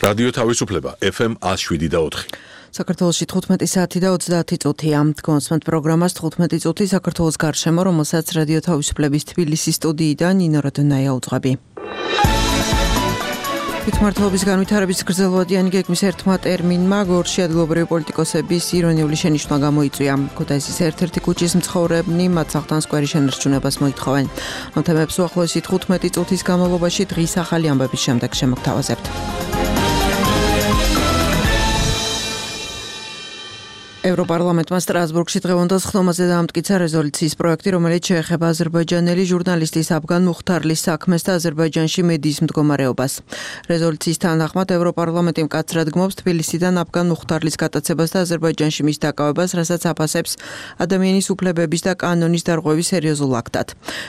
რადიო თავისუფლება FM 107.4. საქართველოში 15 საათი და 30 წუთია. კონსმენტ პროგრამას 15 წუთი საქართველოს გარშემო, რომელსაც რადიო თავისუფლების თბილისის სტუდიიდან ნინო როდონაია უძღვები. თვითმმართველობის განვითარების გრძელვადიანი გეგმის ერთმა ტერმინმა გორში ადგილობრივი პოლიტიკოსების ირონიული შენიშვნა გამოიწვია. ქუთაისის ერთ-ერთი ქუჩის მცხოვრებნი მათ სახლთან სკვერის შენარჩუნებას მოითხოვენ. ამ თემებს უახლოესი 15 წუთის განმავლობაში დღის ახალი ამბების შემდეგ შემოგთავაზებთ. ევროპარლამენტმა სტრასბურგში დღევანდელ ხდომაზე დაამტკიცა რეზოლუციის პროექტი, რომელიც შეეხება აზერბაიჯანელი ჟურნალისტის აფგან მუხთარლის საქმეს და აზერბაიჯანში მედიის მდგომარეობას. რეზოლუციის თანახმად ევროპარლამენტი მკაცრად გმობს თბილისიდან აფგან მუხთარლის გატაცებას და აზერბაიჯანში მის დაკავებას, რასაც აფასებს ადამიანის უფლებების და კანონის დარღვევის სერიოზულ აქტად.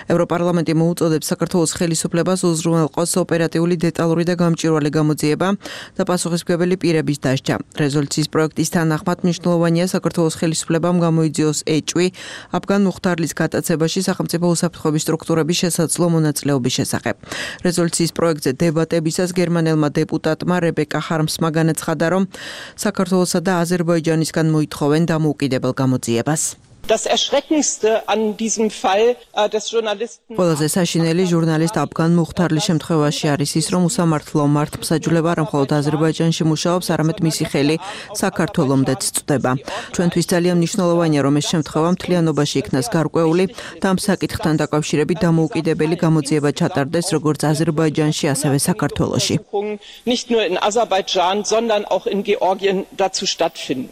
ევროპარლამენტი მოუწოდებს საქართველოს ხელისუფლებას უზრუნველყოს ოპერატიული, დეტალური და გამჭვირვალე გამოძიება და პასუხისმგებელი პირების დასჯა. რეზოლუციის პროექტის თანახმად მნიშვნელოვანია საქართველოს ხელისუფლებამ გამოიძიოს ეჭვი აფგან მუხთარლის გატაცებაში სახელმწიფო უსაფრთხოების სტრუქტურების შესაძლო მონაწილეობის შესახებ. რეზოლუციის პროექტზე დებატებისას გერმანელმა დეპუტატმა რებეკა ჰარმსმა განაცხადა, რომ საქართველოსა და აზერბაიჯანისგან მოითხოვენ დამოუკიდებელ გამოძიებას. Das Erschreckendste an diesem Fall des Journalisten ყველაზე საშინელი ჟურნალისტ აფგან მუხთარლის შემთხვევაში არის ის, რომ უსამართლო მართლმსაჯულება არა მხოლოდ აზერბაიჯანში მუშაობს, არამედ მისი ხელი საქართველომდეც წვდება. ჩვენთვის ძალიან მნიშვნელოვანია, რომ ეს შემთხვევა მთლიანობაში იქნას გარკვეული და ამ საკითხთან დაკავშირებით დამოუკიდებელი გამოძიება ჩატარდეს როგორც აზერბაიჯანში, ასევე საქართველოში. Nicht nur in Aserbaidschan, sondern auch in Georgien dazu stattfinden.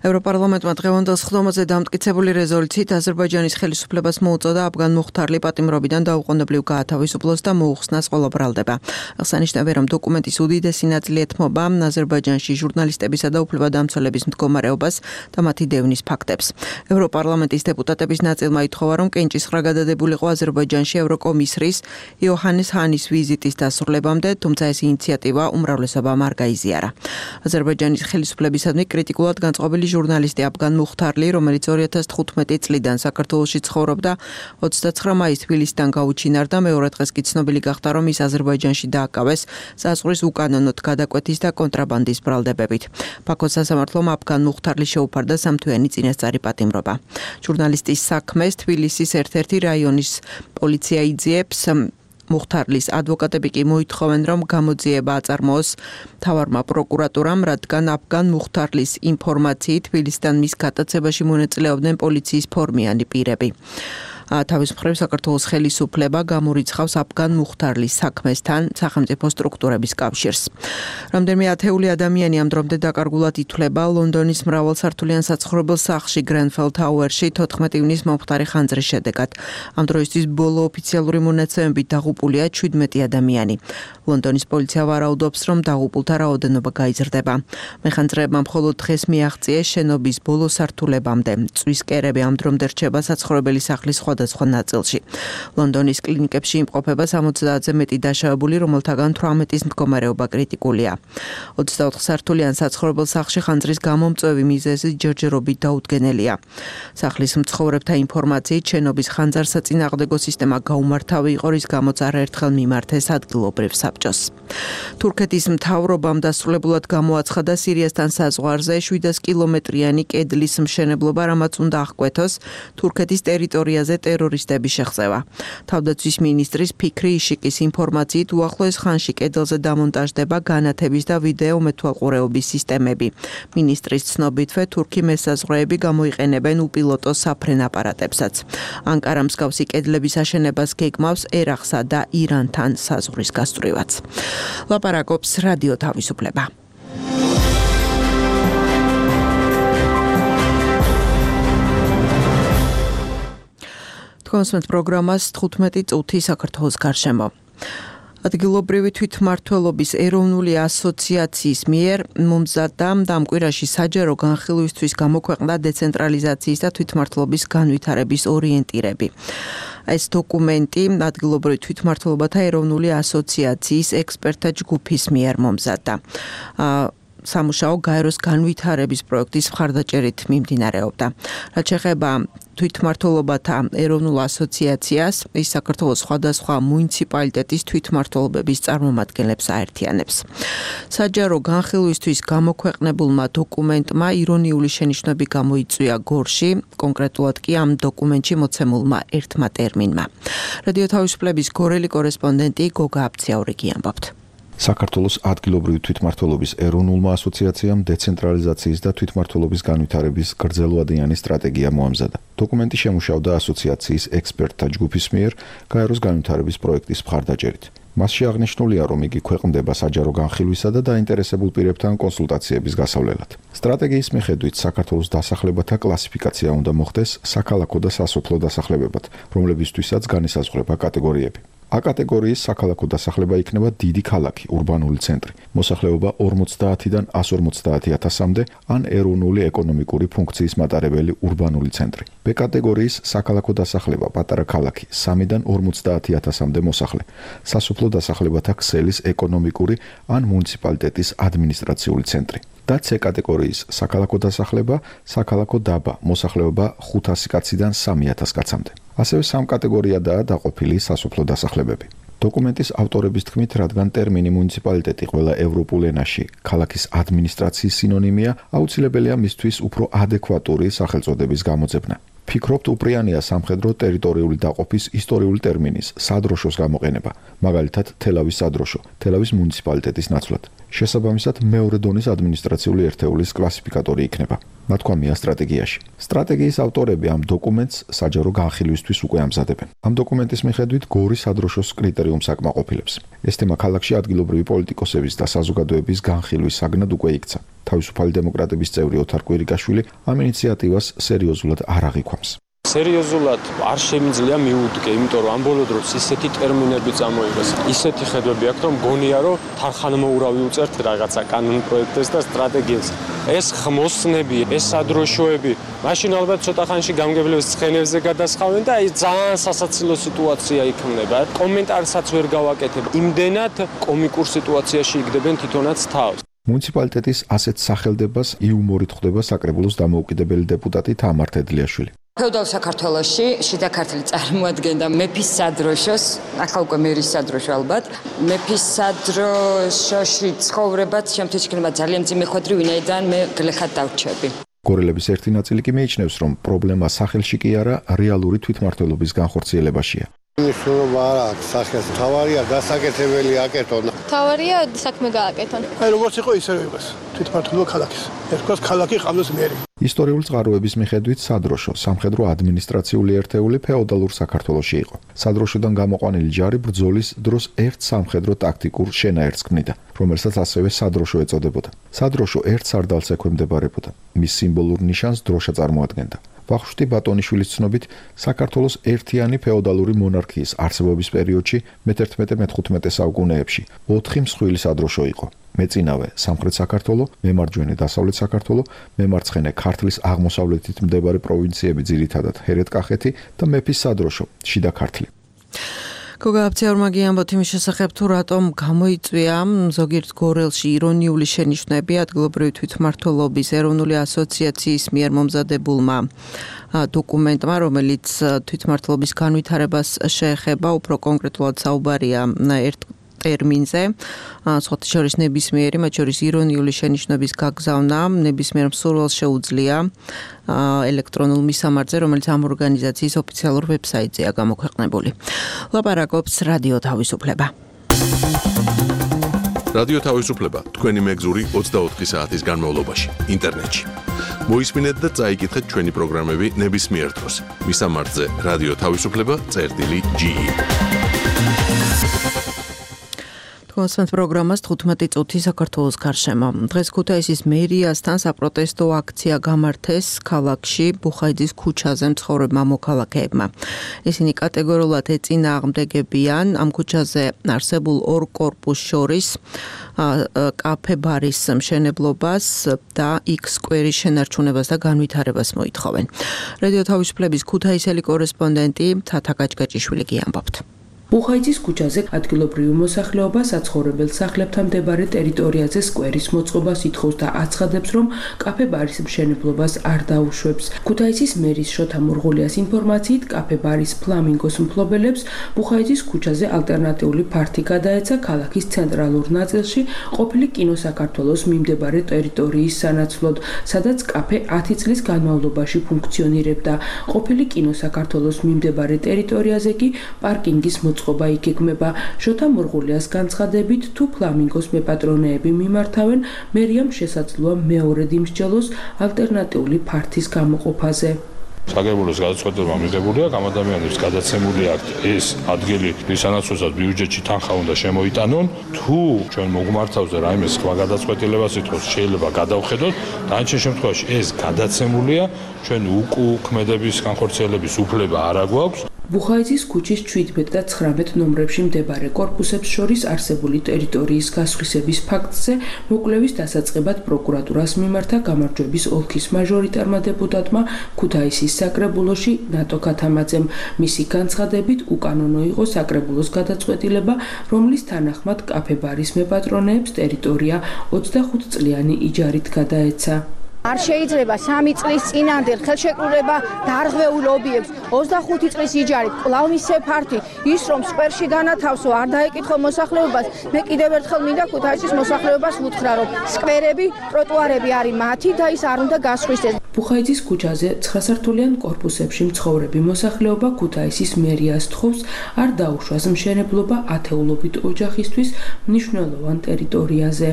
ევროპარლამენტმა დღევანდელ ხდომაზე დამტკიცებული რეზოლუციით აზერბაიჯანის ხელისუფლებას მოუწოდა აფგან მუხთარლი პატიმრობიდან დაუყოვნებლივ გაათავისუფლოს და მოუხსნას ყველა ბრალდება. აღსანიშნავია, რომ დოკუმენტის უდიდესი ნაწილი ეთმობა აზერბაიჯანში ჟურნალისტებისა და უფლებადამცველების მდგომარეობას და მათი დევნის ფაქტებს. ევროპარლამენტის დეპუტატების ნაწილმა ითხოვა, რომ კენჭისყრა გადადებულიყო აზერბაიჯანში ევროკომისრის იოჰანეს ჰანის ვიზიტის დასრულებამდე, თუმცა ეს ინიციატივა უმრავლესობამ არ გაიზიარა. აზერბაიჯანის ხელისუფლებისადმი კრიტიკულად განწყობილი ჟურნალისტი აფგან მუხთარლი, რომელიც 2015 წლიდან საქართველოში ცხოვრობდა, 29 მაისს თბილისიდან გაუჩინარდა, მეორე დღეს კი ცნობილი გახდა, რომ ის აზერბაიჯანში დააკავეს საზღვრის უკანონოდ გადაკვეთის და კონტრაბანდის ბრალდებებით. ბაქოს სასამართლომ აფგან მუხთარლი შეუფარდა სამთვიანი წინასწარი პატიმრობა. ჟურნალისტის საქმეს თბილისის ერთ-ერთი რაიონის პოლიცია იძიებს. მუხთარლის ადვოკატები კი მოითხოვენ, რომ გამოძიება აწარმოოს მთავარმა პროკურატურამ, რადგან აფგან მუხთარლის ინფორმაციით თბილისიდან მის გატაცებაში მონაწილეობდნენ პოლიციის ფორმიანი პირები. თავის მხრივ საქართველოს ხელისუფლება გამორიცხავს აფგან მუხთარლის საქმესთან სახელმწიფო სტრუქტურების კავშირს. რამდენიმე ათეული ადამიანი ამ დრომდე დაკარგულად ითვლება ლონდონის მრავალსართულიან საცხოვრებელ სახლში გრენფელ თაუერში 14 ივნის მომხდარი ხანძრის შედეგად. ამ დროისთვის ბოლო ოფიციალური მონაცემებით დაღუპულია 17 ადამიანი. ლონდონის პოლიცია ვარაუდობს, რომ დაღუპულთა რაოდენობა გაიზრდება. მეხანძრეებმა მხოლოდ დღეს მიაღწიეს შენობის ბოლო სართულებამდე. წვის კერები ამ დრომდე რჩება საცხოვრებელი სახლის სხვადასხვა ნაწილში. ლონდონის კლინიკებში იმყოფება 60-ზე მეტი დაშავებული, რომელთაგან 18-ის მდგომარეობა კრიტიკულია. 24 სართულიან საცხოვრებელ სახლში ხანძრის გამომწვევი მიზეზი ჯერჯერობით დაუდგენელია. სახლის მცხოვრებთა ინფორმაციით შენობის ხანძარსაწინააღმდეგო სისტემა გაუმართავი იყო, რის გამოც არაერთხელ მიმართეს ადგილობრივ საბჭოს. თურქეთის მთავრობამ დასრულებულად გამოაცხადა სირიასთან საზღვარზე 700 კილომეტრიანი კედლის მშენებლობა, რამაც უნდა აღკვეთოს თურქეთის ტერიტორიაზე ტერორისტების შეღწევა. თავდაცვის მინისტრის ფიქრი იშიკის ინფორმაციით უახლოეს ხანში კედელზე დამონტაჟდება განათების და ვიდეო მეთვალყურეობის სისტემები. მინისტრის ცნობითვე თურქი მესაზღვრეები გამოიყენებენ უპილოტო საფრენ აპარატებსაც. ანკარა მსგავსი კედლების აშენებას გეგმავს ერაყსა და ირანთან საზღვრის გასწვრივაც. ლაპარაკობს რადიო თავისუფლება. კონსმენტ პროგრამას 15 წუთი საქართველოს გარშემო. ადგილობრივი თვითმმართველობის ეროვნული ასოციაციის მიერ მომზადდა ამ კვირაში საჯარო განხილვისთვის გამოქვეყნდა დეცენტრალიზაციის და თვითმმართველობის განვითარების ორიენტირები. ეს დოკუმენტი ადგილობრივი თვითმმართველობათა ეროვნული ასოციაციის ექსპერტთა ჯგუფის მიერ მომზადდა. სამუშაო გაეროს განვითარების პროექტის მხარდაჭერით მიმდინარეობდა. რაც შეეხება თვითმმართველობათა ეროვნულ ასოციაციას, ის საქართველოს სხვადასხვა მუნიციპალიტეტის თვითმმართველობების წარმომადგენლებს აერთიანებს. საჯარო განხილვისთვის გამოქვეყნებულმა დოკუმენტმა ირონიული შენიშვნები გამოიწვია გორში, კონკრეტულად კი ამ დოკუმენტში მოცემულმა ერთმა ტერმინმა. რადიო თავისუფლების გორელი კორესპონდენტი გოგა აბციაურიგი ამბობთ. საქართველოს ადგილობრივი თვითმმართველობის ეროვნულმა ასოციაციამ დეცენტრალიზაციის და თვითმმართველობის განვითარების გრძელვადიანი სტრატეგია მოამზადა. დოკუმენტი შემუშავდა ასოციაციის ექსპერტთა ჯგუფის მიერ გაეროს განვითარების პროექტის მხარდაჭერით. მასში აღნიშნულია, რომ იგი ქვეყნდება საჯარო განხილვისა და დაინტერესებულ პირებთან კონსულტაციების გასავლელად. სტრატეგიის მიხედვით საქართველოს დასახლებათა კლასიფიკაცია უნდა მოხდეს საქალაქო და სასოფლო დასახლებებად, რომლებისთვისაც განისაზღვრება კატეგორიები. A კატეგორიის საქალაქო დასახლება იქნება დიდი ქალაქი, ურბანული ცენტრი, მოსახლეობა 50-დან 150,000-მდე ან ეროვნული ეკონომიკური ფუნქციის მატარებელი ურბანული ცენტრი. B კატეგორიის საქალაქო დასახლება პატარა ქალაქი, 3-დან 50,000-მდე მოსახლე, სასოფლო დასახლებათა ქსელის ეკონომიკური ან მუნიციპალიტეტის ადმინისტრაციული ცენტრი. და C კატეგორიის საქალაქო დასახლება, საქალაქო დაბა, მოსახლეობა 500 კაციდან 3,000 კაცამდე. ასევე 3 კატეგორიადაა დაყოფილი სასოფლო დასახლებები. დოკუმენტის ავტორების თქმით, რადგან ტერმინი მუნიციპალიტეტი ყველა ევროპულ ენაში ქალაქის ადმინისტრაციის სინონიმია, აუცილებელია მისთვის უფრო ადეკვატური სახელწოდების გამოძებნა. ფიქრობთ, უპრიანია სამხედრო ტერიტორიული დაყოფის ისტორიული ტერმინის სადროშოს გამოყენება, მაგალითად თელავის სადროშო, თელავის მუნიციპალიტეტის ნაცვლად. შესაბამისად, მეორე დონის ადმინისტრაციული ერთეულის კლასიფიკატორი იქნება. ნათქვამია სტრატეგიაში. სტრატეგიის ავტორები ამ დოკუმენტს საჯარო განხილვისთვის უკვე ამზადებენ. ამ დოკუმენტის მიხედვით გორის სადროშოს კრიტერიუმს აკმაყოფილებს. ეს თემა ქალაქში ადგილობრივი პოლიტიკოსების და საზოგადოების განხილვის საგნად უკვე იქცა. თავისუფალი დემოკრატების წევრი ოთარ კვირიკაშვილი ამ ინიციატივას სერიოზულად არ აღიქვამს. სერიოზულად არ შემიძლია მიუდგე, იმიტომ რომ ამ ბოლო დროს ისეთი ტერმინები წამოიღეს, ისეთი ხედვები აქვს, რომ გონია, რომ თანხმოურავი უწერთ რაღაცა კანონ პროექტებს და სტრატეგიებს. ეს ხმოსნები, ეს სადროშოები, მაშინ ალბათ ცოტა ხანში გამგებლების ცხენებზე გადასხავენ და აი ძალიან სასაცილო სიტუაცია იქმნება. კომენტარსაც ვერ გავაკეთებ. იმდენად კომიკურ სიტუაციაში იგდებენ თვითონაც თავს. მუნიციპალიტეტის ასეთ სახელდებას იუმორით ხვდება საკრებულოს დამოუკიდებელი დეპუტატი თამარ თედლიაშვილი. ფეოდალურ საქართველოში შიდა ქართლი წარმოადგენდა მეფის სადროშოს, ახლა უკვე მერის სადროშო ალბათ. მეფის სადროშოში ცხოვრებაც შემთხვევით ძალიან მძიმე ხვედრი, ვინაიდან მე გლეხად დავრჩები. გორელების ერთი ნაწილი კი მიიჩნევს, რომ პრობლემა სახელში კი არა, რეალური თვითმმართველობის განხორციელებაშია. მნიშვნელობა არ აქვს სახელს, თავარია დასაკეთებელი აკეთონ. თავარია საქმე გააკეთონ. აი როგორც იყო ისევე იყოს თვითმმართველობა ქალაქის. ერთგვარად ქალაქი ყავდეს მერი. ისტორიული წყაროების მიხედვით სადროშო სამხედრო ადმინისტრაციული ერთეული ფეოდალურ საქართველოში იყო. სადროშოდან გამოყვანილი ჯარი ბრძოლის დროს ერთ სამხედრო ტაქტიკურ შენაერთს ქმნიდა, რომელსაც ასევე სადროშო ეწოდებოდა. სადროშო ერთ სარდალს ექვემდებარებოდა. მის სიმბოლურ ნიშანს დროშა წარმოადგენდა. ვახუშტი ბატონიშვილის ცნობით, საქართველოს ერთიანი ფეოდალური მონარქიის არსებობის პერიოდში მე-11-მე-15 საუკუნეებში 4 მსხვილი სადროშო იყო. მეწინავე სამხრეთ საქართველო, მემარჯვენე დასავლეთ საქართველო, მემარცხენე ქართლის აღმოსავლეთით მდებარე პროვინციები ძირითადად ჰერეთ-კახეთი და მეფის სადროშო, შიდა ქართლი. გოგა აბციაურმა ამბობთ იმის შესახებ, თუ რატომ გამოიწვია ზოგიერთ გორელში ირონიული შენიშვნები ადგილობრივი თვითმმართველობის ეროვნული ასოციაციის მიერ მომზადებულმა დოკუმენტმა, რომელიც თვითმმართველობის განვითარებას შეეხება, უფრო კონკრეტულად საუბარია ერთ ტერმინზე, სხვათა შორის ნებისმიერი, მათ შორის ირონიული შენიშვნების გაგზავნა ნებისმიერ მსურველს შეუძლია ელექტრონულ მისამართზე, რომელიც ამ ორგანიზაციის ოფიციალურ ვებსაიტზეა გამოქვეყნებული. ლაპარაკობს რადიო თავისუფლება. რადიო თავისუფლება თქვენი მეგზური 24 საათის განმავლობაში ინტერნეტში. მოისმინეთ და წაიკითხეთ ჩვენი პროგრამები ნებისმიერ დროს. მისამართზე რადიო თავისუფლება.ge კონსერვატ პროგრამას 15 წუთი საქართველოს გარშემო. დღეს ქუთაისის მერიასთან საპროტესტო აქცია გამართეს ქალაქში ბუხაიძის ქუჩაზე მცხოვრებმა მოქალაქეებმა. ისინი კატეგორიულად ეწინააღმდეგებიან ამ ქუჩაზე არსებულ ორ კორპუსს შორის კაფე ბარის მშენებლობას და X სკვერის შენარჩუნებას და განვითარებას მოითხოვენ. რადიო თავისუფლების ქუთაისელი კორესპონდენტი თათა გაჭგაჭიშვილი ამბობთ. ბუხაიძის ქუჩაზე ადგილობრივი მოსახლეობა საცხოვრებელ სახლებთან მდებარე ტერიტორიაზე სკვერის მოწყობას ითხოვს და აცხადებს, რომ კაფე-ბარის მშენებლობას არ დაუშვებს. ქუთაისის მერის შოთა მურღულიას ინფორმაციით, კაფე-ბარის ფლამინგოს მფლობელებს ბუხაიძის ქუჩაზე ალტერნატიული ფართი გადაეცა ქალაქის ცენტრალურ ნაწილში ყოფილი კინო საქართველოს მიმდებარე ტერიტორიის სანაცვლოდ, სადაც კაფე 10 წლის განმავლობაში ფუნქციონირებდა. ყოფილი კინო საქართველოს მიმდებარე ტერიტორიაზე კი პარკინგის მოწყობა იგეგმება. შოთა მურღულიას განცხადებით, თუ ფლამინგოს მეპატრონეები მიმართავენ, მერიამ შესაძლოა მეორედ იმსჯელოს ალტერნატიული ფართის გამოყოფაზე. საგებულოს გადაწყვეტილება მიღებული აქვს, ამ ადამიანებს გადაცემული აქვს ეს ადგილი, რის სანაცვლოსაც ბიუჯეტში თანხა უნდა შემოიტანონ. თუ ჩვენ მოგმართავზე რაიმე სხვა გადაწყვეტილებას ითხოვს, შეიძლება გადავხედოთ. დანარჩენ შემთხვევაში ეს გადაცემულია, ჩვენ უკუქმედების განხორციელების უფლება არ აგვაქვს. ბუხაიძის ქუჩის 17 და 19 ნომრებში მდებარე კორპუსებს შორის არსებული ტერიტორიის გასხვისების ფაქტზე მოკვლევის დასაწყებად პროკურატურას მიმართა გამარჯვების ოლქის მაჟორიტარმა დეპუტატმა ქუთაისის საკრებულოში ნატო ქათამაძემ. მისი განცხადებით, უკანონო იყო საკრებულოს გადაწყვეტილება, რომლის თანახმად კაფე-ბარის მეპატრონეებს ტერიტორია 25 წლიანი იჯარით გადაეცა. არ შეიძლება 3 წლის წინანდ ხელშეკრულება დარღვეულ ობიექტს 25 წლის იჯარით კვლავ მისცე ფართი ის რომ სკვერში განათავსო არ დაეკითხო მოსახლეობას მე კიდევ ერთხელ მინდა ქუთაისის მოსახლეობას ვუთხრა რომ სკვერები ტროტუარები არის მათი და ის არ უნდა გასხვისდეს. ბუხაიძის ქუჩაზე 9 სართულიან კორპუსებში მცხოვრები მოსახლეობა ქუთაისის მერიას თხოვს არ დაუშვას მშენებლობა ათეულობით ოჯახისთვის მნიშვნელოვან ტერიტორიაზე.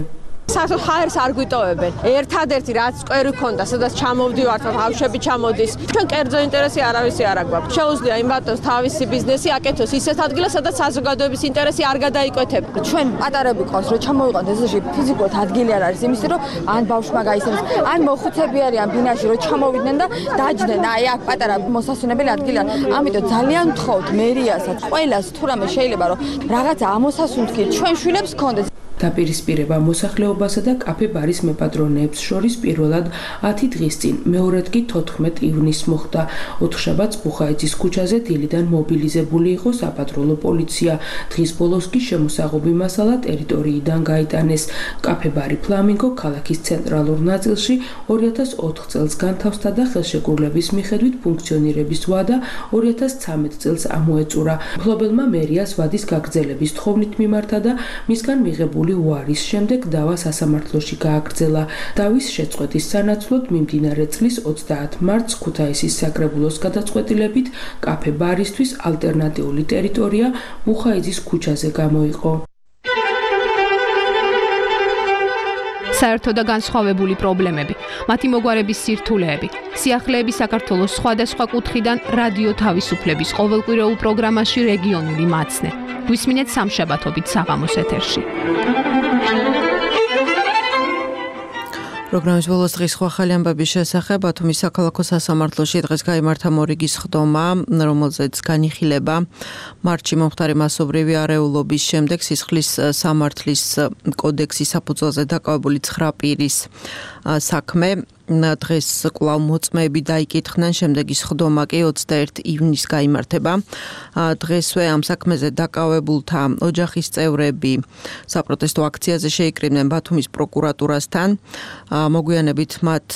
საერთოდ ხაერს არ გვიტოვებენ. ერთადერთი რაც სკვერი ქონდა, სადაც ჩამოვდივართ, ბავშვები ჩამოდის. ჩვენ კერძო ინტერესი არავისი არ აგვაქვს. შეუძლია იმ ბატონს თავისი ბიზნესი აკეთოს ისეთ ადგილას, სადაც საზოგადოების ინტერესი არ გადაიკეთებ. ჩვენ პატარები ყავს, რომ ჩამოვიყოთ ესეში ფიზიკურად ადგილი არ არის იმისთვის, რომ ან ბავშვმა გაისწრებს, ან მოხუცები არიან ბინაში, რომ ჩამოვიდნენ და დაჯდნენ. აი აქ პატარა მოსასვენებელი ადგილი არის. ამიტომ ძალიან ვთხოვთ მერიასაც, ყველას თუ რამე შეიძლება რომ რაღაცა ამოსასუნთქით, ჩვენ შვილებს გქონდეს. დაპირისპირება მოსახლეობასა და კაფე-ბარის მეპატრონეებს შორის პირველად 10 დღის წინ, მეორედ კი 14 ივნისს მოხდა. ოთხშაბათს ბუხაიძის ქუჩაზე დილიდან მობილიზებული იყო საპატრულო პოლიცია. დღის ბოლოს კი შემოსაღობი მასალა ტერიტორიიდან გაიტანეს. კაფე-ბარი ფლამინგო ქალაქის ცენტრალურ ნაწილში 2004 წელს განთავსდა და ხელშეკრულების მიხედვით ფუნქციონირების ვადა 2013 წელს ამოეწურა. მფლობელმა მერიას ვადის გაგრძელების თხოვნით მიმართა და მისგან მიღებული უარის შემდეგ დავა სასამართლოში გააგრძელა. დავის შეწყვეტის სანაცვლოდ მიმდინარე წლის 30 მარტს ქუთაისის საკრებულოს გადაწყვეტილებით კაფე-ბარისთვის ალტერნატიული ტერიტორია ბუხაიძის ქუჩაზე გამოიყო. საერთო და განსხვავებული პრობლემები, მათი მოგვარების სირთულეები, სიახლეები საქართველოს სხვადასხვა კუთხიდან რადიო თავისუფლების ყოველკვირეულ პროგრამაში რეგიონული მაცნე. გვისმინეთ სამშაბათობით საღამოს ეთერში. პროგრამის ბოლოს დღის სხვა ახალი ამბების შესახებ ბათუმის საქალაქო სასამართლოში დღეს გაიმართა მორიგის ხდომა, რომელზეც განიხილება მარტში მომხდარი მასობრივი არეულობის შემდეგ სისხლის სამართლის კოდექსის საფუძველზე დაკავებული 9 პირის საქმე. დღეს კვლავ მოწმეები დაიკითხნენ, შემდეგი ხდომა კი 21 ივნისს გაიმართება. დღესვე ამ საქმეზე დაკავებულთა ოჯახის წევრები საპროტესტო აქციაზე შეიკრიბნენ ბათუმის პროკურატურასთან. მოგვიანებით მათ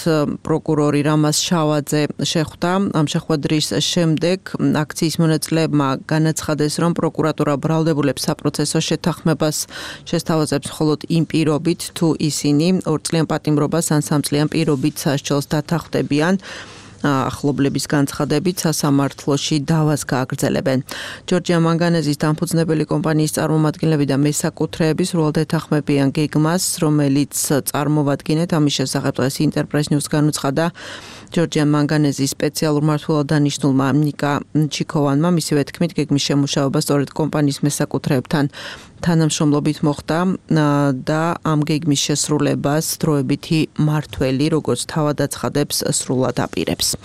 პროკურორი რამაზ შავაძე შეხვდა. ამ შეხვედრის შემდეგ აქციის მონაწილეებმა განაცხადეს, რომ პროკურატურა ბრალდებულებს საპროცესო შეთანხმებას შესთავაზებს მხოლოდ იმ პირობით, თუ ისინი 2 წლიან პატიმრობას ან 3 წლიან პირობით სასჯელს დათანხმდებიან. ახლობლების განცხადებით სასამართლოში დავას გააგრძელებენ. ჯორჯია მანგანეზის დამფუძნებელი კომპანიის წარმომადგენლები და მესაკუთრეები სრულად ეთანხმებიან გეგმას, რომელიც წარმოვადგინეთ. ამის შესახებ დღეს ინტერპრეს ნიუს განუცხადა ჯორჯია მანგანეზის სპეციალურ მმართველად დანიშნულმა ნიკა ჩიქოვანმა. მისივე თქმით, გეგმის შემუშავება სწორედ კომპანიის მესაკუთრეებთან თანამშრომლობით მოხდა და ამ გეგმის შესრულებას დროებითი მმართველი, როგორც თავად აცხადებს, სრულად აპირებს.